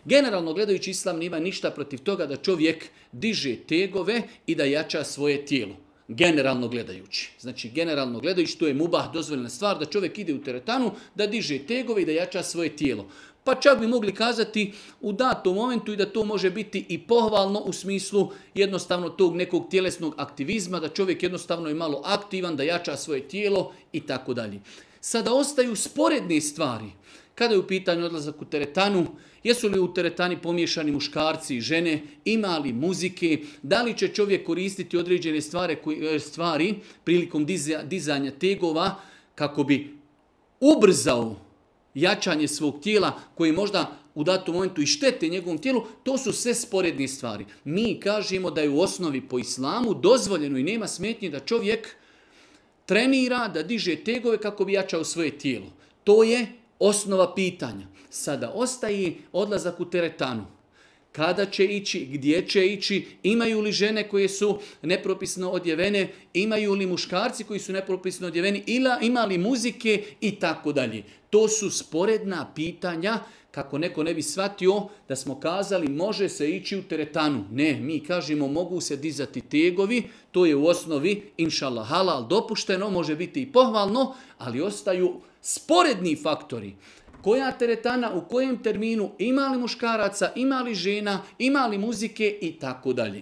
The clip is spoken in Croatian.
Generalno gledajući, islam nema ništa protiv toga da čovjek diže tegove i da jača svoje tijelo. Generalno gledajući. Znači, generalno gledajući, to je mubah, dozvoljena stvar, da čovjek ide u teretanu, da diže tegove i da jača svoje tijelo. Pa čak bi mogli kazati u datom momentu i da to može biti i pohvalno u smislu jednostavno tog nekog tjelesnog aktivizma, da čovjek jednostavno je malo aktivan, da jača svoje tijelo i tako dalje. Sada ostaju sporedne stvari. Kada je u pitanju odlazak u teretanu, jesu li u teretani pomiješani muškarci i žene, ima li muzike, da li će čovjek koristiti određene stvari prilikom dizanja tegova kako bi ubrzao jačanje svog tijela koji možda u datom momentu i štete njegovom tijelu, to su sve sporedne stvari. Mi kažemo da je u osnovi po islamu dozvoljeno i nema smetnje da čovjek trenira, da diže tegove kako bi jačao svoje tijelo. To je osnova pitanja. Sada ostaje odlazak u teretanu. Kada će ići, gdje će ići, imaju li žene koje su nepropisno odjevene, imaju li muškarci koji su nepropisno odjeveni, ima li muzike i tako dalje. To su sporedna pitanja, kako neko ne bi shvatio da smo kazali može se ići u teretanu. Ne, mi kažemo mogu se dizati tegovi, to je u osnovi inšallah halal dopušteno, može biti i pohvalno, ali ostaju sporedni faktori. Koja teretana, u kojem terminu, ima li muškaraca, ima li žena, ima li muzike i tako dalje.